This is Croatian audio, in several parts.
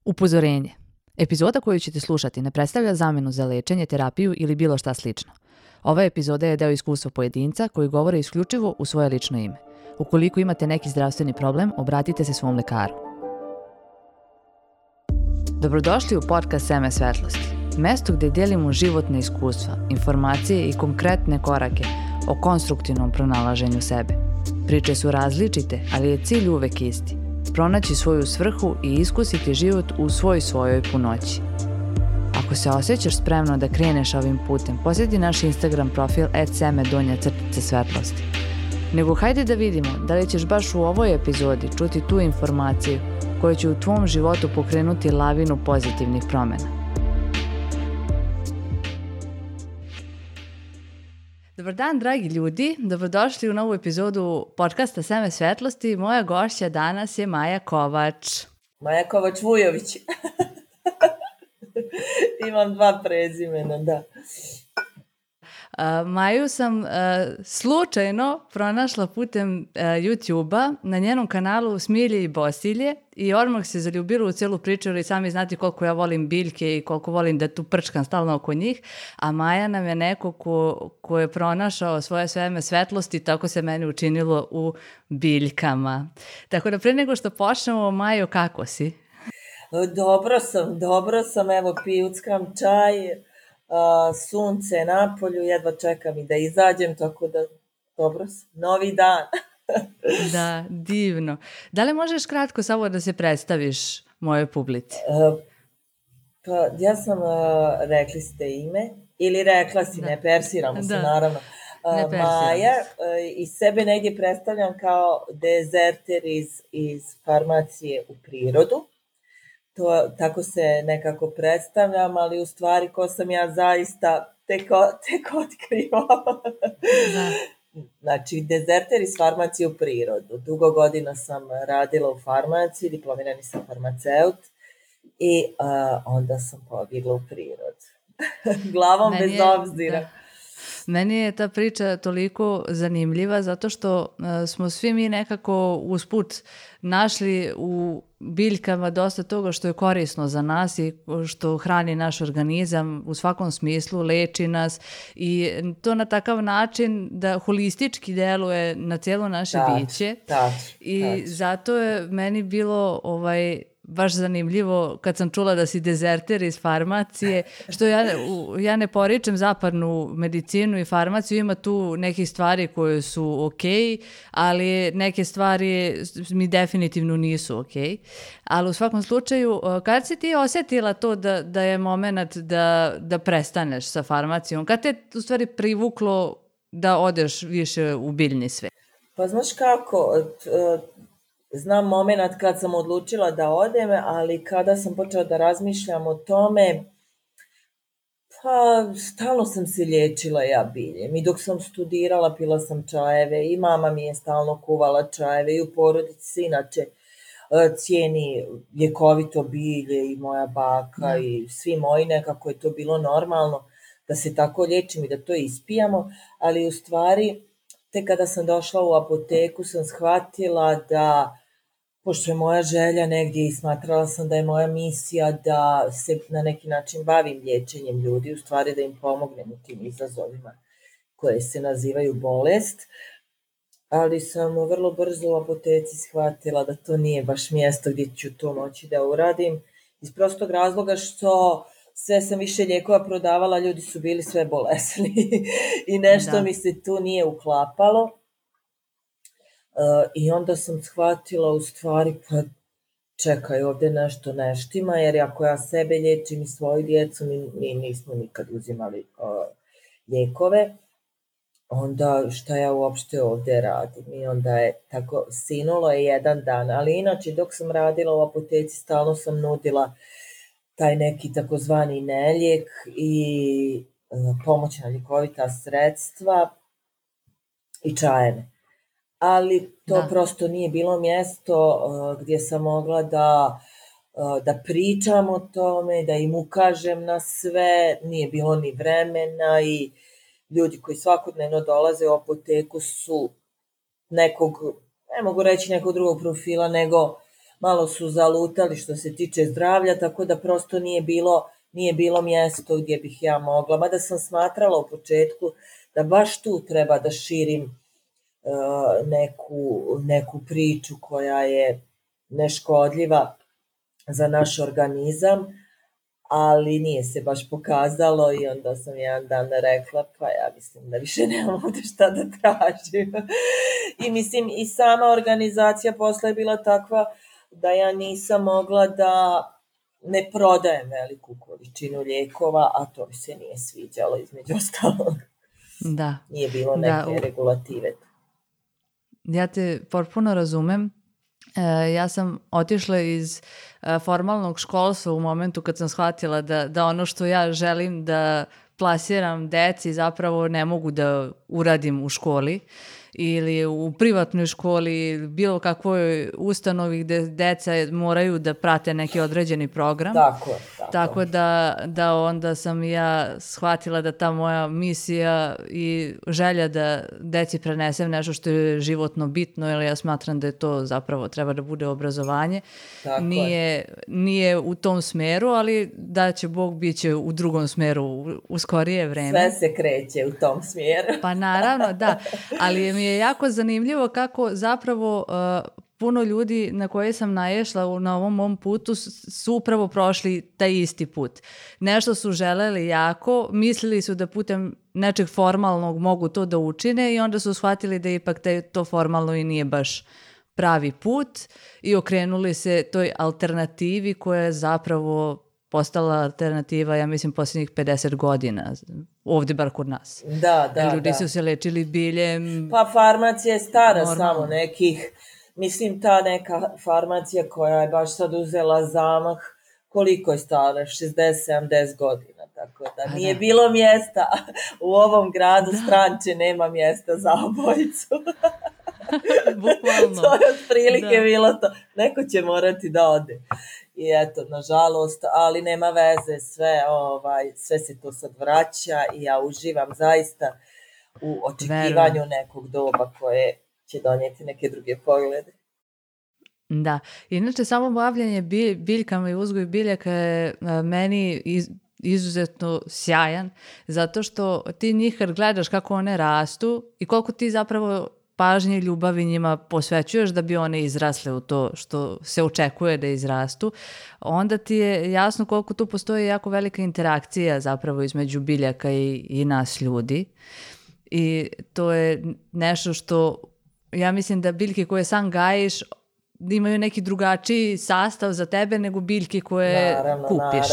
Upozorenje. Epizoda koju ćete slušati ne predstavlja zamenu za lečenje, terapiju ili bilo šta slično. Ova epizoda je deo iskustva pojedinca koji govore isključivo u svoje lično ime. Ukoliko imate neki zdravstveni problem, obratite se svom lekaru. Dobrodošli u podcast Seme svetlosti. Mesto gdje delimo životne iskustva, informacije i konkretne korake o konstruktivnom pronalaženju sebe. Priče su različite, ali je cilj uvek isti. Pronaći svoju svrhu i iskusiti život u svojoj punoći. Ako se osjećaš spremno da kreneš ovim putem, posjeti naš Instagram profil @seme_svetlosti. Nego hajde da vidimo da li ćeš baš u ovoj epizodi čuti tu informaciju koja će u tvom životu pokrenuti lavinu pozitivnih promjena. Dobar dan, dragi ljudi. Dobrodošli u novu epizodu podcasta Seme svetlosti. Moja gošća danas je Maja Kovač. Maja Kovač-Vujović. Imam 2 prezimena, da. Maju sam slučajno pronašla putem YouTube-a na njenom kanalu Smilje i Bosilje i odmah se zaljubila u celu priču, jer i sami znate koliko ja volim biljke i koliko volim da tu prčkam stalno oko njih, a Maja nam je neko ko je pronašao svoje Seme svetlosti, tako se meni učinilo u biljkama. Tako da pre nego što počnemo, Majo, kako si? Dobro sam, evo pijuckam čaj, sunce na polju, jedva čekam i da izađem, tako da dobro sam. Novi dan. Da, divno. Da li možeš kratko samo da se predstaviš mojoj publici? Pa ja sam, rekli ste ime, ili rekla si, da. Ne persiramo se, naravno. Maja, i sebe negdje predstavljam kao dezerter iz farmacije u prirodu. Tako se nekako predstavljam, ali u stvari ko sam ja zaista tek otkrivam. Znači, dezerter iz farmacije u prirodu. Dugo godina sam radila u farmaciji, diplomirani sam farmaceut i onda sam pobjegla u prirodu. Glavom bez obzira. Da. Meni je ta priča toliko zanimljiva zato što smo svi mi nekako usput našli u biljkama dosta toga što je korisno za nas i što hrani naš organizam u svakom smislu, leči nas i to na takav način da holistički deluje na cijelo naše biće. I zato je meni bilo baš zanimljivo kad sam čula da si dezerter iz farmacije, što ja ne poričem zapadnu medicinu i farmaciju, ima tu nekih stvari koje su okej, ali neke stvari mi definitivno nisu okej. Ali u svakom slučaju, kad si ti osjetila to da je moment da prestaneš sa farmacijom? Kad te u stvari privuklo da odeš više u biljni svet? Pa znaš kako, znam moment kad sam odlučila da odem, ali kada sam počela da razmišljam o tome, pa stalno sam se liječila ja biljem. I dok sam studirala pila sam čajeve i mama mi je stalno kuvala čajeve i u porodici se inače cijeni ljekovito bilje i moja baka i svi moji, nekako je to bilo normalno da se tako liječim i da to ispijamo, ali u stvari tek kada sam došla u apoteku sam shvatila da, pošto je moja želja negdje i smatrala sam da je moja misija da se na neki način bavim liječenjem ljudi, u stvari da im pomognem u tim izazovima koje se nazivaju bolest, ali sam vrlo brzo u apoteci shvatila da to nije baš mjesto gdje ću to moći da uradim, iz prostog razloga što sve sam više lijekova prodavala, ljudi su bili sve bolesni i nešto mi se tu nije uklapalo. I onda sam shvatila u stvari, pa čekaj, ovdje nešto ne štima, jer ako ja sebe liječim i svoju djecu, mi nismo nikad uzimali lijekove, onda šta ja uopšte ovdje radim? I onda je tako, sinulo je jedan dan, ali inače dok sam radila u apoteci stalno sam nudila taj neki takozvani nelijek i pomoćna ljekovita sredstva i čajeve. Ali to prosto nije bilo mjesto gdje sam mogla da pričam o tome, da im ukažem na sve, nije bilo ni vremena i ljudi koji svakodnevno dolaze u apoteku su nekog, ne mogu reći nekog drugog profila, nego malo su zalutali što se tiče zdravlja, tako da prosto nije bilo mjesto gdje bih ja mogla. Mada sam smatrala u početku da baš tu treba da širim neku priču koja je neškodljiva za naš organizam, ali nije se baš pokazalo i onda sam jedan dan rekla, pa ja mislim da više nemam ovdje šta da tražim. I mislim, i sama organizacija posle je bila takva da ja nisam mogla da ne prodajem veliku količinu lijekova, a to mi se nije sviđalo između ostalog. Da. Nije bilo neke regulative. Ja te potpuno razumem. Ja sam otišla iz formalnog školstva u momentu kad sam shvatila da ono što ja želim da plasiram deci zapravo ne mogu da uradim u školi ili u privatnoj školi, bilo kakvoj ustanovi gde deca moraju da prate neki određeni program. Tako da onda sam ja shvatila da ta moja misija i želja da deci prenesem nešto što je životno bitno, jer ja smatram da je to zapravo treba da bude obrazovanje. Nije u tom smeru, ali da će Bog biće u drugom smeru u skorije vreme. Sve se kreće u tom smjeru. Pa naravno, da. Ali mi je jako zanimljivo kako zapravo puno ljudi na koje sam naišla na ovom mom putu su upravo prošli taj isti put. Nešto su želeli jako, mislili su da putem nečeg formalnog mogu to da učine i onda su shvatili da ipak to formalno i nije baš pravi put i okrenuli se toj alternativi koja je zapravo postala alternativa, ja mislim, posljednjih 50 godina, ovdje bar kod nas. Da. Ljudi su se lečili biljem. Pa farmacija je stara samo nekih, mislim ta neka farmacija koja je baš sad uzela zamah, koliko je stara, 60-70 godina, tako da nije bilo mjesta u ovom gradu, Stranče nema mjesta za obojicu. Bukvalno. To je otprilike bilo to. Neko će morati da ode. I eto, nažalost, ali nema veze, sve se to sad vraća i ja uživam zaista u očekivanju nekog doba koje će donijeti neke druge poglede. Da, inače samo bavljanje biljkama i uzgoj biljaka je meni izuzetno sjajan, zato što ti njih kad gledaš kako one rastu i koliko ti zapravo pažnje i ljubavi njima posvećuješ da bi one izrasle u to što se očekuje da izrastu, onda ti je jasno koliko tu postoji jako velika interakcija zapravo između biljaka i nas ljudi. I to je nešto što ja mislim da biljke koje sam gajiš imaju neki drugačiji sastav za tebe nego biljke koje kupiš.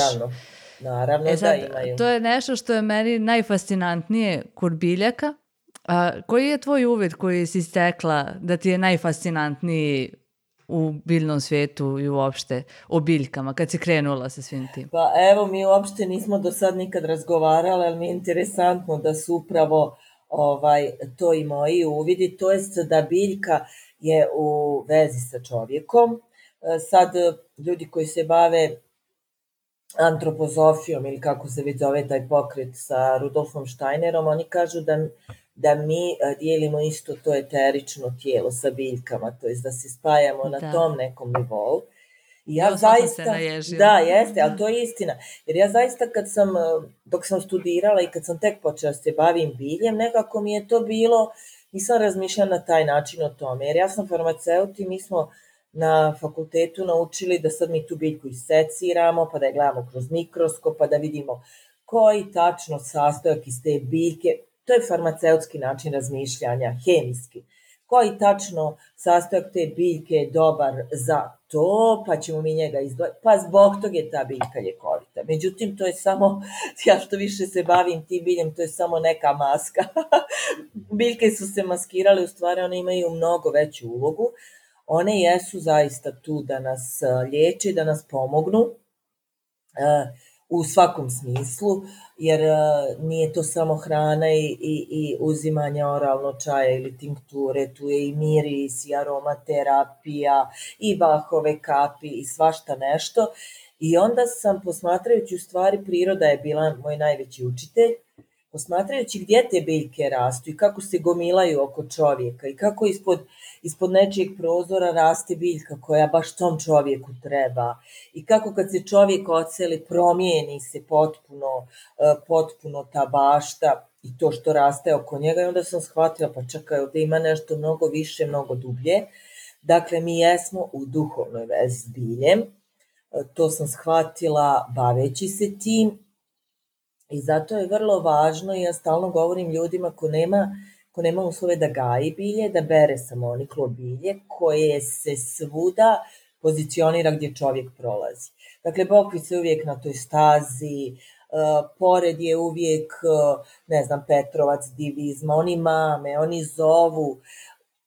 Naravno sad, da imaju. To je nešto što je meni najfascinantnije kod biljaka. Koji je tvoj uvid koji si stekla da ti je najfascinantniji u biljnom svijetu i uopšte o biljkama, kad si krenula sa svim tim? Pa evo, mi uopšte nismo do sad nikad razgovarali, ali mi je interesantno da su upravo to i moji uvidi, to jest da biljka je u vezi sa čovjekom. Sad, ljudi koji se bave antropozofijom ili kako se već zove taj pokret sa Rudolfom Steinerom, oni kažu da mi dijelimo isto to eterično tijelo sa biljkama, to jest da se spajamo na tom nekom nivou. I ja zaista, da, jeste, ali to je istina. Jer ja zaista dok sam studirala i kad sam tek počela se bavim biljem, nekako mi je to bilo, nisam razmišljala na taj način o tome. Jer ja sam farmaceut i mi smo na fakultetu naučili da sad mi tu biljku iseciramo, pa da je gledamo kroz mikroskop, pa da vidimo koji tačno sastojak iz te biljke. To je farmaceutski način razmišljanja, hemijski. Koji tačno sastojak te biljke je dobar za to, pa ćemo mi njega izdvojiti. Pa zbog toga je ta biljka ljekovita. Međutim, to je samo, ja što više se bavim tim biljem, to je samo neka maska. Biljke su se maskirale, u stvari one imaju mnogo veću ulogu. One jesu zaista tu da nas liječe, da nas pomognu u svakom smislu, jer nije to samo hrana i uzimanje oralno čaja ili tinkture, tu je i miris, i aromaterapija, i Bachove kapi, i svašta nešto. I onda sam, posmatrajući u stvari, priroda je bila moj najveći učitelj, posmatrajući gdje te biljke rastu i kako se gomilaju oko čovjeka i kako ispod nečijeg prozora raste biljka koja baš tom čovjeku treba i kako kad se čovjek odseli promijeni se potpuno ta bašta i to što raste oko njega i onda sam shvatila pa čekaj, ovdje ima nešto mnogo više, mnogo dublje. Dakle, mi jesmo u duhovnoj vezi s biljem, to sam shvatila baveći se tim i zato je vrlo važno i ja stalno govorim ljudima ko nema uslove da gaji bilje, da bere samoniklo bilje koje se svuda pozicionira gdje čovjek prolazi. Dakle, bokvica je uvijek na toj stazi, pored je uvijek, ne znam, Petrovac, Divizma, oni mame, oni zovu,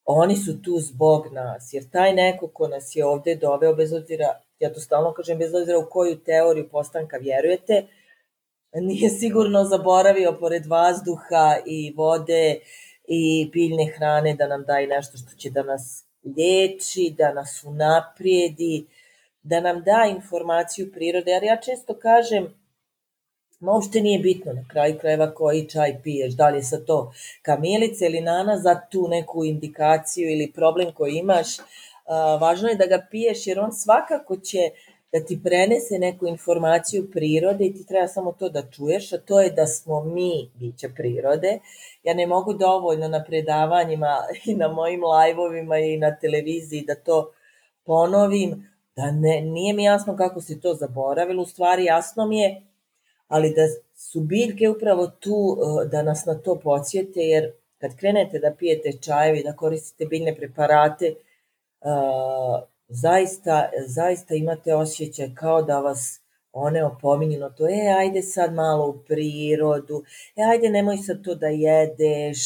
oni su tu zbog nas, jer taj neko ko nas je ovdje doveo, bez obzira, ja to stalno kažem, bez obzira u koju teoriju postanka vjerujete, nije sigurno zaboravio pored vazduha i vode i biljne hrane da nam daje nešto što će da nas liječi, da nas unaprijedi, da nam da informaciju prirode. Jer ja često kažem, uopšte nije bitno na kraju krajeva koji čaj piješ, da li je sad to kamilica ili nana za tu neku indikaciju ili problem koji imaš. Važno je da ga piješ jer on svakako će da ti prenese neku informaciju prirode i ti treba samo to da čuješ, a to je da smo mi bića prirode. Ja ne mogu dovoljno na predavanjima i na mojim live-ovima i na televiziji da to ponovim, da nije mi jasno kako se to zaboravilo, u stvari jasno mi je, ali da su biljke upravo tu da nas na to podsjete, jer kad krenete da pijete čajevi, da koristite biljne preparate, zaista imate osjećaj kao da vas one opominju na to, ajde sad malo u prirodu, ajde nemoj sad to da jedeš,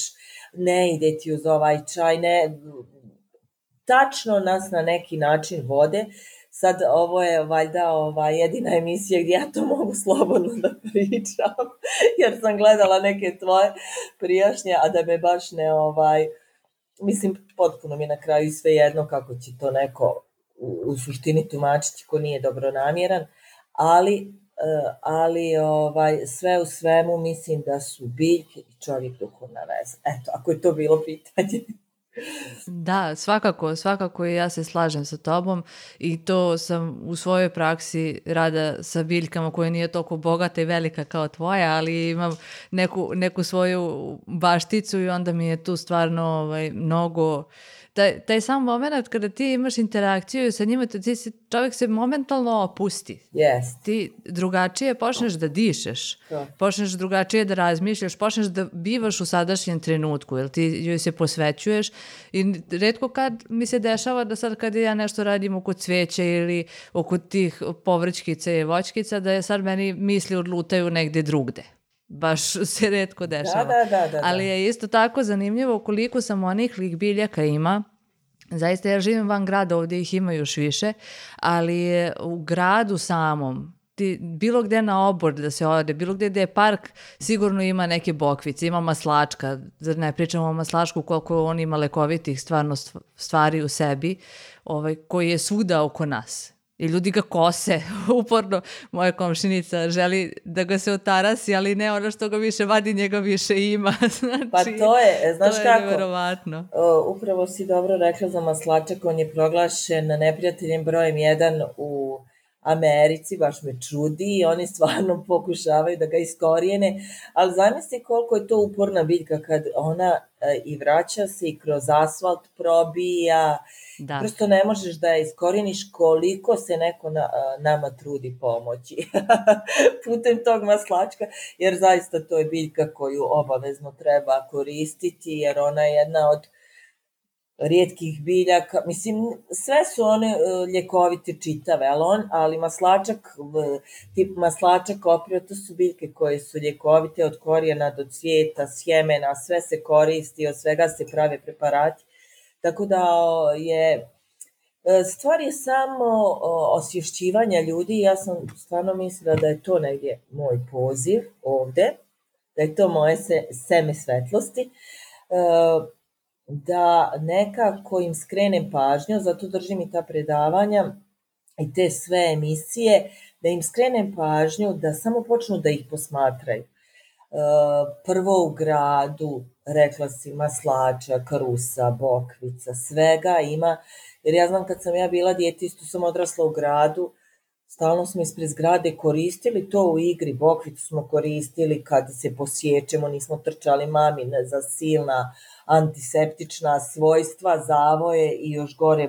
ne ide ti uz ovaj čaj, ne, tačno nas na neki način vode. Sad ovo je valjda jedina emisija gdje ja to mogu slobodno da pričam, jer sam gledala neke tvoje prijašnje, a da me baš ne mislim, potpuno mi je na kraju sve jedno kako će to neko u suštini tumačiti ko nije dobronamjeran, ali sve u svemu mislim da su biljke i čovjek duhovna veza. Eto, ako je to bilo pitanje. Da, svakako i ja se slažem sa tobom i to sam u svojoj praksi rada sa biljkama koja nije toliko bogata i velika kao tvoja, ali imam neku svoju bašticu i onda mi je tu stvarno mnogo... Taj sam moment kada ti imaš interakciju sa njima, čovjek se momentalno opusti. Yes. Ti drugačije počneš da dišeš, počneš drugačije da razmišljaš, počneš da bivaš u sadašnjem trenutku, jer ti joj se posvećuješ i retko kad mi se dešava da sad kad ja nešto radim oko cvijeća ili oko tih povrćkica i voćkica, da je sad meni misli odlutaju negdje drugde. Baš se retko dešava. Da. Ali je isto tako zanimljivo koliko samoniklih biljaka ima. Zaista ja živim van grada, ovdje ih ima još više, ali u gradu samom, bilo gdje na obor da se ode, bilo gdje je park, sigurno ima neke bokvice, ima maslačka, zar ne pričamo o maslačku koliko on ima lekovitih stvarno stvari u sebi, koji je svuda oko nas. I ljudi ga kose, uporno moja komšinica želi da ga se otarasi, ali ne ono što ga više vadi, njega više ima. Znači, pa to je, znaš to kako, je neverovatno. Upravo si dobro rekla za maslačak, on je proglašen neprijateljem brojem 1 u Americi, baš me čudi i oni stvarno pokušavaju da ga iskorijene, ali zamisli koliko je to uporna biljka kad ona i vraća se i kroz asfalt probija, prosto ne možeš da je iskorijeniš koliko se neko nama trudi pomoći putem tog maslačka, jer zaista to je biljka koju obavezno treba koristiti, jer ona je jedna od rijetkih biljaka, mislim, sve su one ljekovite čitave, ali maslačak oprio, to su biljke koje su ljekovite od korijena do cvijeta, sjemena, sve se koristi, od svega se prave preparati, tako da stvar je samo osvješćivanja ljudi. Ja sam stvarno mislila da je to negdje moj poziv ovdje, da je to moje seme svetlosti, da nekako im skrenem pažnju, zato držim i ta predavanja i te sve emisije, da im skrenem pažnju da samo počnu da ih posmatraju. prvo u gradu, rekla si, maslača, krusa, bokvica, svega ima, jer ja znam kad sam ja bila dijete, isto sam odrasla u gradu, stalno smo ispred zgrade koristili to u igri, bokvicu smo koristili kad se posjećemo, nismo trčali mamine za silna antiseptična svojstva, zavoje i još gore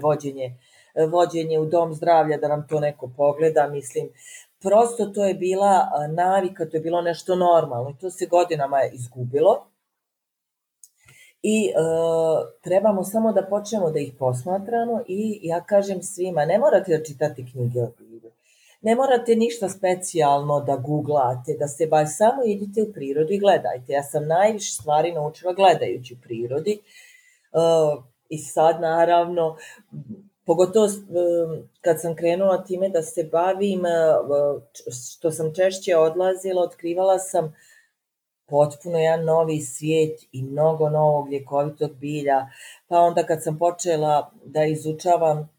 vođenje u dom zdravlja da nam to neko pogleda, mislim, prosto to je bila navika, to je bilo nešto normalno i to se godinama izgubilo i trebamo samo da počnemo da ih posmatramo i ja kažem svima, ne morate da čitate knjige o bilju, ne morate ništa specijalno da googlate, da se baš samo idite u prirodu i gledajte. Ja sam najviše stvari naučila gledajući u prirodi i sad naravno, pogotovo kad sam krenula time da se bavim, što sam češće odlazila, otkrivala sam potpuno jedan novi svijet i mnogo novog ljekovitog bilja. Pa onda kad sam počela da izučavam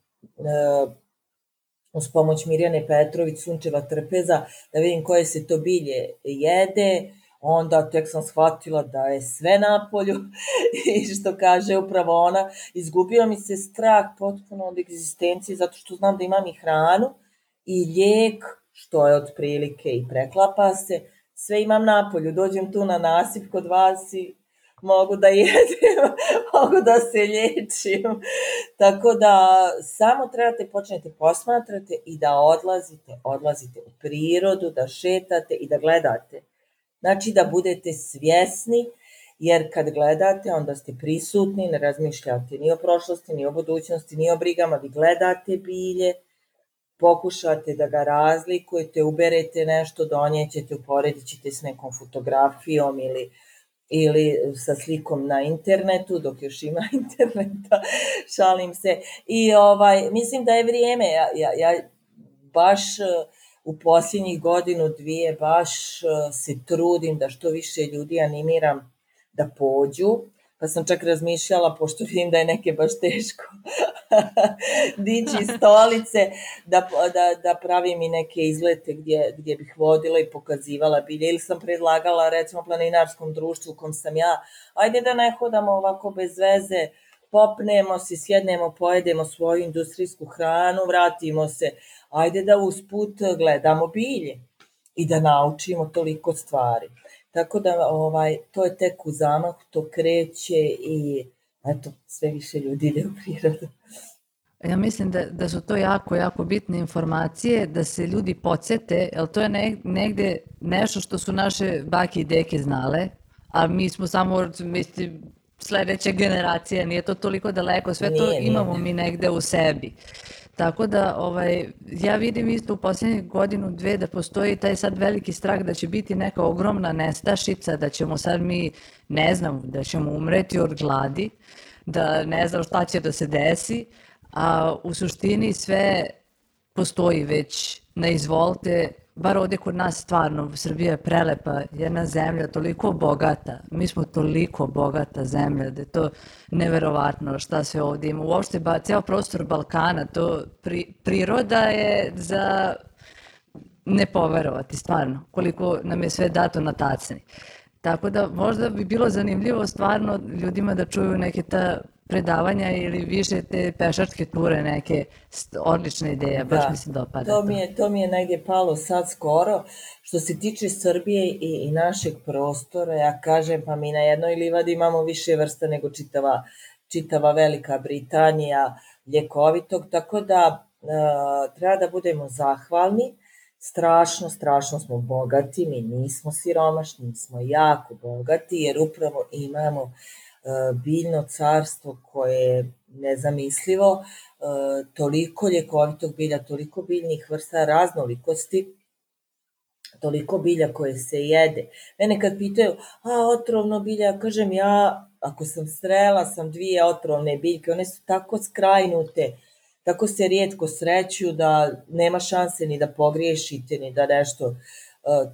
uz pomoć Mirjane Petrović, sunčeva trpeza, da vidim koje se to bilje jede, onda tek sam shvatila da je sve napolju i što kaže upravo ona, izgubio mi se strah potpuno od egzistencije zato što znam da imam i hranu i lijek, što je otprilike i preklapa se, sve imam napolju, dođem tu na nasip kod vas i mogu da jedem, mogu da se liječim. Tako da samo trebate počnete posmatrate i da odlazite u prirodu, da šetate i da gledate. Znači da budete svjesni, jer kad gledate onda ste prisutni, ne razmišljate ni o prošlosti, ni o budućnosti, ni o brigama, vi gledate bilje, pokušate da ga razlikujete, uberete nešto, donijećete, uporedit ćete s nekom fotografijom ili sa slikom na internetu, dok još ima interneta, šalim se. I mislim da je vrijeme, ja baš u posljednjih godinu, dvije, baš se trudim da što više ljudi animiram da pođu, pa sam čak razmišljala, pošto vidim da je neke baš teško dići stolice, da pravim i neke izlete gdje bih vodila i pokazivala bilje, ili sam predlagala recimo planinarskom društvu u kom sam ja, ajde da ne hodamo ovako bez veze, popnemo se, sjednemo, pojedemo svoju industrijsku hranu, vratimo se, ajde da usput gledamo bilje i da naučimo toliko stvari. Tako da to je tek u zamahu, to kreće i eto, sve više ljudi ide u prirodu. Ja mislim da su to jako, jako bitne informacije, da se ljudi podsjete, jer to je negde nešto što su naše bake i deke znale, a mi smo samo, mislim, sledeća generacija, nije to toliko daleko, sve to imamo mi negde u sebi. Tako da ja vidim isto u posljednjih godinu, dve da postoji taj sad veliki strah da će biti neka ogromna nestašica, da ćemo sad mi, ne znam, da ćemo umreti od gladi, da ne znam šta će da se desi, a u suštini sve postoji već na izvolte, bar ovdje kod nas stvarno, Srbija je prelepa, jedna zemlja toliko bogata, mi smo toliko bogata zemlja da je to neverovatno šta sve ovdje ima. Uopšte ceo prostor Balkana, to priroda je za ne poverovati stvarno, koliko nam je sve dato na tacni. Tako da možda bi bilo zanimljivo stvarno ljudima da čuju neke ta predavanja ili više te pešačke ture, neke odlične ideje, baš mi se dopada. To mi je negdje palo sad skoro. Što se tiče Srbije i našeg prostora, ja kažem, pa mi na jednoj livadi imamo više vrsta nego čitava Velika Britanija ljekovitog, tako da treba da budemo zahvalni. Strašno smo bogati, mi nismo siromašni, mi smo jako bogati, jer upravo imamo biljno carstvo koje je nezamislivo, toliko ljekovitog bilja, toliko biljnih vrsta raznolikosti, toliko bilja koje se jede. Mene kad pitaju, otrovno bilje, ja kažem, ja ako sam srela sam 2 otrovne biljke, one su tako skrajnute, tako se rijetko sreću da nema šanse ni da pogriješite, ni da nešto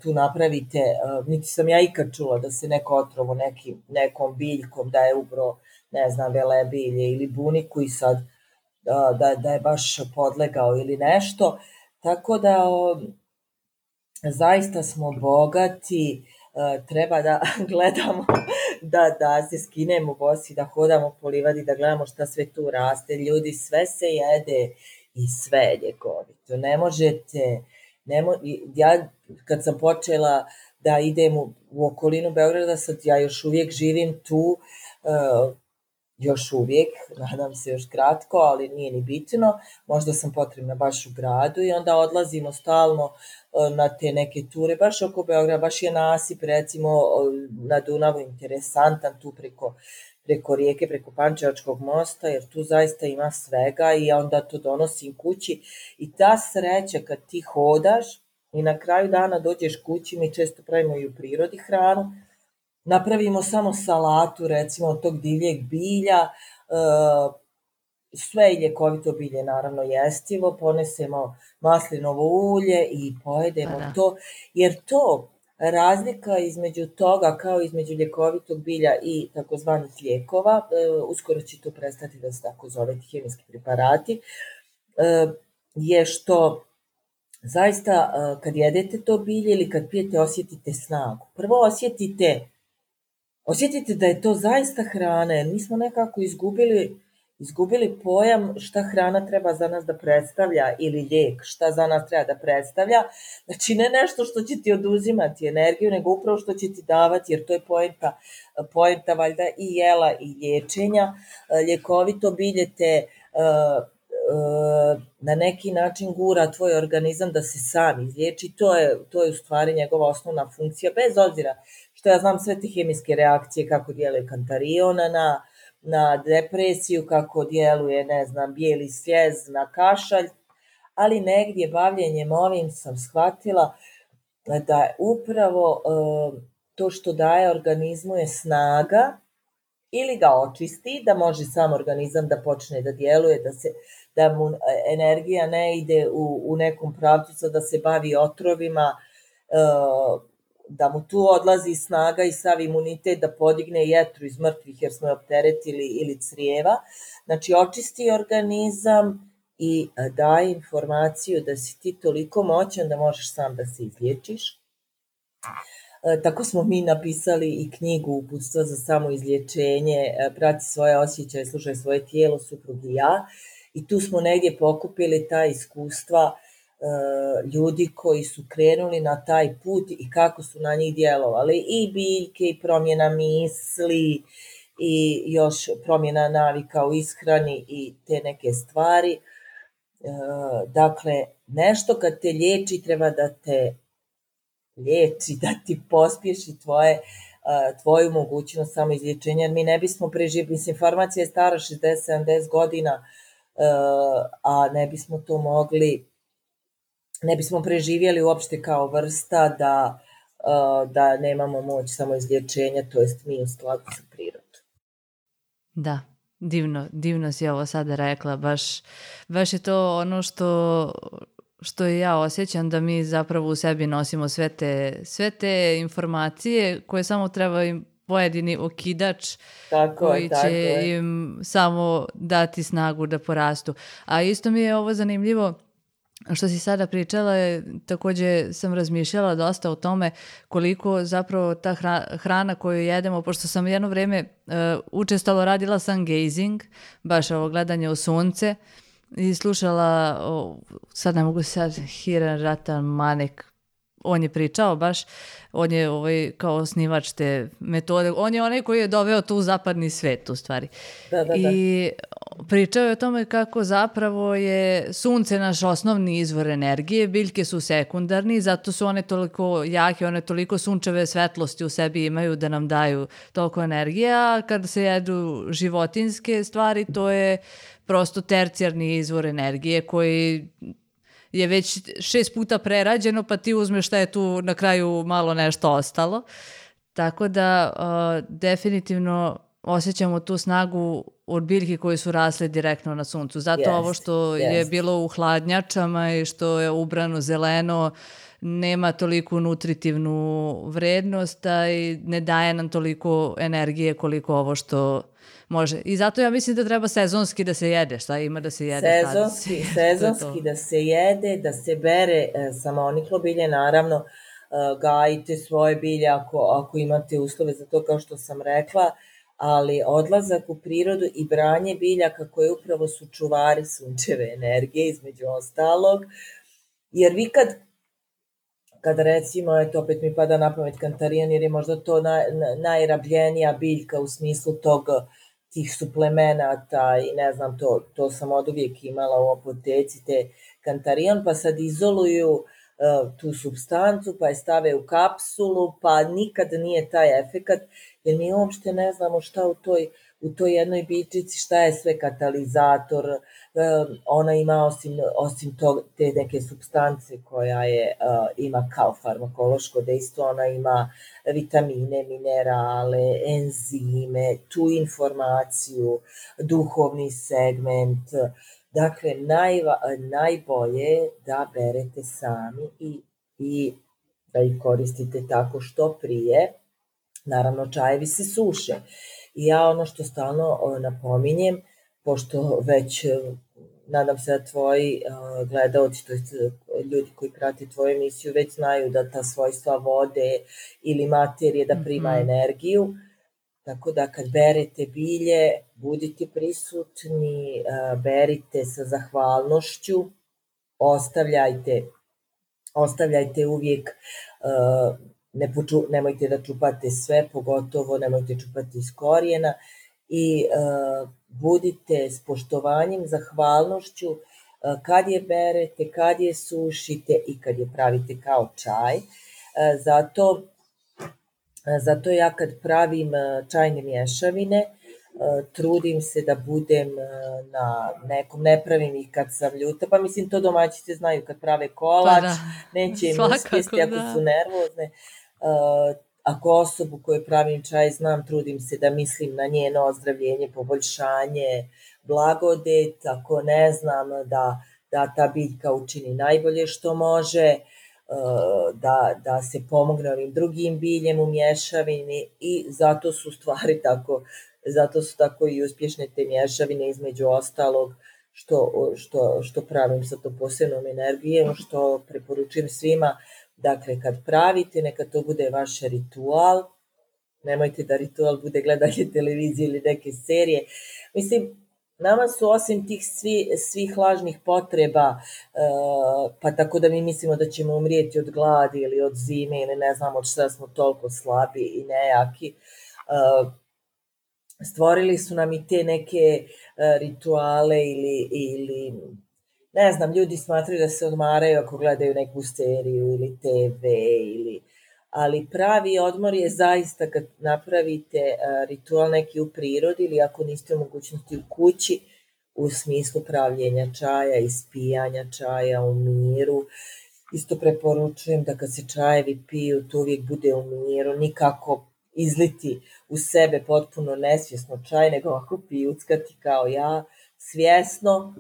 tu napravite, niti sam ja ikad čula da se neko otrovo nekom biljkom, da je ubro, ne znam, velebilje ili buniku i sad da je baš podlegao ili nešto. Tako da zaista smo bogati, treba da gledamo, da se skinemo bosi, da hodamo po livadi, da gledamo šta sve tu raste. Ljudi, sve se jede i sve je ljekovito. Ne možete, ja kad sam počela da idem u okolinu Beograda, sad ja još uvijek živim tu, još uvijek, nadam se još kratko, ali nije ni bitno, možda sam potrebna baš u gradu i onda odlazimo stalno na te neke ture, baš oko Beograda, baš je nasip recimo na Dunavu interesantan tu preko rijeke, preko Pančevačkog mosta, jer tu zaista ima svega i onda to donosim kući i ta sreća kad ti hodaš i na kraju dana dođeš kući, mi često pravimo i u prirodi hranu, napravimo samo salatu, recimo, od tog divljeg bilja, sve je ljekovito bilje, naravno, jestivo, ponesemo maslinovo ulje i pojedemo to, jer to razlika između toga, kao između ljekovitog bilja i takozvanih lijekova, uskoro će to prestati da se tako zove ti hemijski preparati, je što zaista kad jedete to bilje ili kad pijete osjetite snagu. Prvo osjetite da je to zaista hrana, jer mi smo nekako izgubili pojam šta hrana treba za nas da predstavlja ili lijek, šta za nas treba da predstavlja. Znači ne nešto što će ti oduzimati energiju, nego upravo što će ti davati, jer to je poenta valjda i jela i liječenja. Ljekovito bilje te na neki način gura tvoj organizam da se sam izliječi, to je u stvari njegova osnovna funkcija, bez obzira što ja znam sve te hemijske reakcije, kako djeluje kantarion na depresiju, kako djeluje, ne znam, bijeli sljez na kašalj, ali negdje bavljenjem ovim sam shvatila da upravo to što daje organizmu je snaga, ili ga očisti, da može sam organizam da počne da djeluje, da mu energija ne ide u nekom pravcu, da se bavi otrovima, da mu tu odlazi snaga i sav imunitet da podigne jetru iz mrtvih jer smo je opteretili ili crijeva. Znači očisti organizam i daje informaciju da si ti toliko moćan da možeš sam da se izliječiš. Tako smo mi napisali i knjigu Uputstva za samoizlječenje, prati svoje osjećaje, slušaj svoje tijelo, suprug i ja. I tu smo negdje pokupili ta iskustva ljudi koji su krenuli na taj put i kako su na njih djelovali. I biljke, i promjena misli, i još promjena navika u ishrani i te neke stvari. Dakle, nešto kad te liječi treba da te liječi, da ti pospješi tvoju mogućnost samoizlječenja, jer mi ne bismo preživjeli, mislim, farmacija je stara 60-70 godina, a ne bismo to mogli, ne bismo preživjeli uopšte kao vrsta da nemamo moć samoizlječenja, to jest mi u skladu sa prirodom. Da, divno si ovo sada rekla, baš je to ono što i ja osjećam, da mi zapravo u sebi nosimo sve te informacije koje samo treba im pojedini okidač koji će im samo dati snagu da porastu. A isto mi je ovo zanimljivo što si sada pričala, također sam razmišljala dosta o tome koliko zapravo ta hrana koju jedemo, pošto sam jedno vrijeme učestalo radila sun gazing, baš ovo gledanje u sunce, i slušala, sad ne mogu Hiran Ratan Manek, on je pričao baš, on je kao osnivač te metode, on je onaj koji je doveo tu zapadni svet u stvari. Da. I pričao je o tome kako zapravo je sunce naš osnovni izvor energije, biljke su sekundarni, zato su one toliko jake, one toliko sunčeve svetlosti u sebi imaju da nam daju toliko energije, a kad se jedu životinjske stvari, to je prosto tercijarni izvor energije koji je već 6 puta prerađeno, pa ti uzmeš šta je tu na kraju malo nešto ostalo. Tako da definitivno osjećamo tu snagu od biljki koje su rasle direktno na suncu. Zato ovo što je bilo u hladnjačama i što je ubrano zeleno nema toliku nutritivnu vrednost i ne daje nam toliko energije koliko ovo što može. I zato ja mislim da treba sezonski da se jede. Šta ima da se jede? Sezonski da se jede, da se bere samoniklo bilje, naravno. gajite svoje bilje ako imate uslove za to, kao što sam rekla, ali odlazak u prirodu i branje biljaka koje upravo su čuvari sunčeve energije, između ostalog, jer vi kad recimo, eto opet mi pada na pamet kantarijan, jer je možda to najrabljenija biljka u smislu tih suplemenata i ne znam, to sam od uvijek imala u apoteci, te kantarijan, pa sad izoluju tu supstancu, pa je stave u kapsulu, pa nikad nije taj efekat, jer mi uopšte ne znamo šta u toj jednoj biljčici, šta je sve katalizator, ona ima osim te neke supstance koja ima kao farmakološko dejstvo, ona ima vitamine, minerale, enzime, tu informaciju, duhovni segment. Dakle, najbolje da berete sami i da ih koristite tako što prije. Naravno, čajevi se suše. I ja ono što stalno napominjem, pošto već nadam se da tvoji gledaoci, to jest ljudi koji prate tvoju emisiju, već znaju da ta svojstva vode ili materije da prima energiju. Tako da kad berete bilje, budite prisutni, berite sa zahvalnošću, ostavljajte uvijek, nemojte da čupate sve, pogotovo nemojte čupati iz korijena i budite s poštovanjem, zahvalnošću kad je berete, kad je sušite i kad je pravite kao čaj. Zato ja kad pravim čajne mješavine, trudim se da budem na nekom, ne pravim ih kad sam ljuta, pa mislim to domaćice znaju kad prave kolač, neće im uspjesti ako su nervozne. Ako osobu koju pravim čaj znam, trudim se da mislim na njeno ozdravljenje, poboljšanje, blagodet, ako ne znam da ta biljka učini najbolje što može, da se pomogne ovim drugim biljem u mješavini i zato su tako i uspješne te mješavine, između ostalog što pravim sa to posebnom energijom, što preporučujem svima. Dakle, kad pravite, neka to bude vaš ritual, nemojte da ritual bude gledanje televizije ili neke serije. Mislim, nama su osim tih svih lažnih potreba, pa tako da mi mislimo da ćemo umrijeti od gladi ili od zime ili ne znam od šta smo toliko slabi i nejaki, stvorili su nam i te neke rituale ili ne znam, ljudi smatraju da se odmaraju ako gledaju neku seriju ili TV ali pravi odmor je zaista kad napravite ritual neki u prirodi ili ako niste u mogućnosti u kući u smislu pravljenja čaja, ispijanja čaja u miru. Isto preporučujem da kad se čajevi piju, to uvijek bude u miru, nikako izliti u sebe potpuno nesvjesno čaj, nego ovako pijuckati kao ja, svjesno.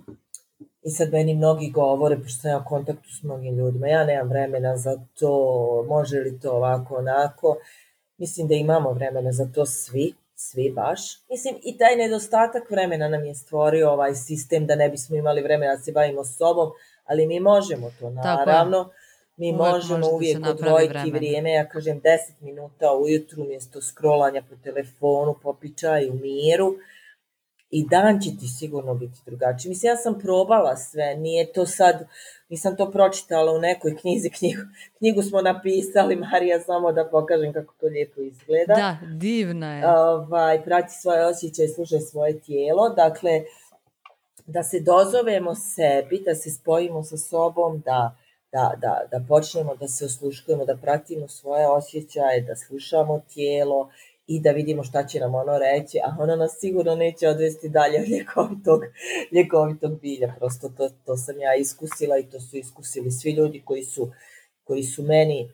I sad meni mnogi govore, pošto sam ja u kontaktu s mnogim ljudima, ja nemam vremena za to, može li to ovako, onako. Mislim da imamo vremena za to svi baš. Mislim, i taj nedostatak vremena nam je stvorio ovaj sistem da ne bismo imali vremena da se bavimo sobom, ali mi možemo to, naravno. Mi možemo uvijek odvojiti vrijeme, ja kažem 10 minuta ujutru mjesto scrollanja po telefonu, popiti čaj u miru. I dan će ti sigurno biti drugačiji. Mislim, ja sam probala sve, nije to sad, nisam to pročitala u nekoj knjizi, knjigu smo napisali, Marija, samo da pokažem kako to lijepo izgleda. Da, divna je. Prati svoje osjećaje, slušaj svoje tijelo, dakle, da se dozovemo sebi, da se spojimo sa sobom, da počnemo da se osluškujemo, da pratimo svoje osjećaje, da slušamo tijelo, i da vidimo šta će nam ono reći, a ono nas sigurno neće odvesti dalje od ljekovitog bilja. Prosto to sam ja iskusila i to su iskusili svi ljudi koji su meni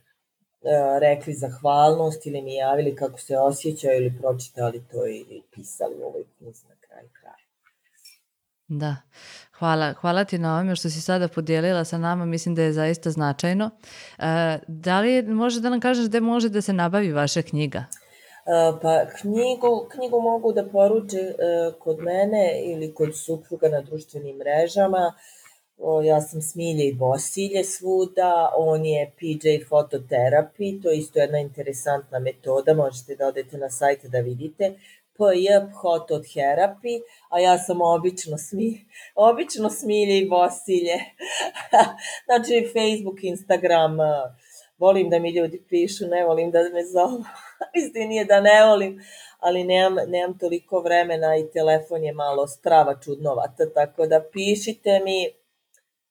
rekli zahvalnost ili mi javili kako se osjećaju ili pročitali to ili pisali u ovoj knjizi na kraju kraja. Da, hvala ti na ovome što si sada podijelila sa nama, mislim da je zaista značajno. Da li može da nam kažeš gde može da se nabavi vaša knjiga? Pa knjigu mogu da poruče kod mene ili kod supruga na društvenim mrežama. Ja sam Smilje i Bosilje svuda, on je PJ Phototherapy, to je isto jedna interesantna metoda, možete da odete na sajt da vidite, PJ Phototherapy, a ja sam obično Smilje i Bosilje. Znači Facebook, Instagram, volim da mi ljudi pišu, ne volim da me zovu, istinije da ne volim, ali nemam toliko vremena i telefon je malo strava čudnovata, tako da pišite mi.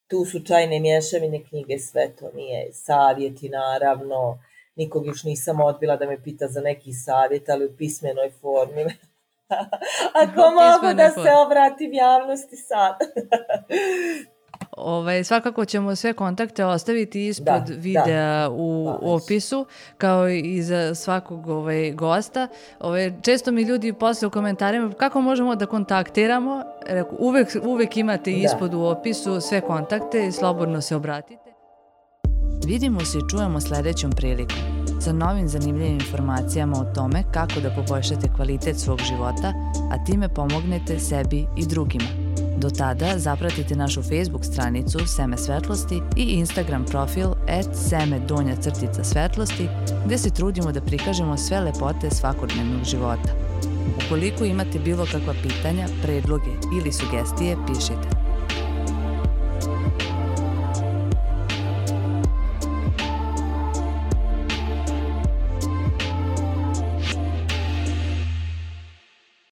Tu su čajne mješavine, knjige, sve to nije savjeti, naravno. Nikog još nisam odbila da me pita za neki savjet, ali u pismenoj formi. Ako mogu da se obratim javnosti sad. Svakako ćemo sve kontakte ostaviti ispod videa u opisu, kao i za svakog gosta. Često mi ljudi posle u komentarima kako možemo da kontaktiramo. Uvek imate ispod u opisu sve kontakte i slobodno se obratite. Vidimo se i čujemo sledećom prilikom sa novim zanimljivim informacijama o tome kako da poboljšate kvalitet svog života, a time pomognete sebi i drugima. Do tada zapratite našu Facebook stranicu Seme svetlosti i Instagram profil @seme_svetlosti gde se trudimo da prikažemo sve lepote svakodnevnog života. Ukoliko imate bilo kakva pitanja, predloge ili sugestije, pišite.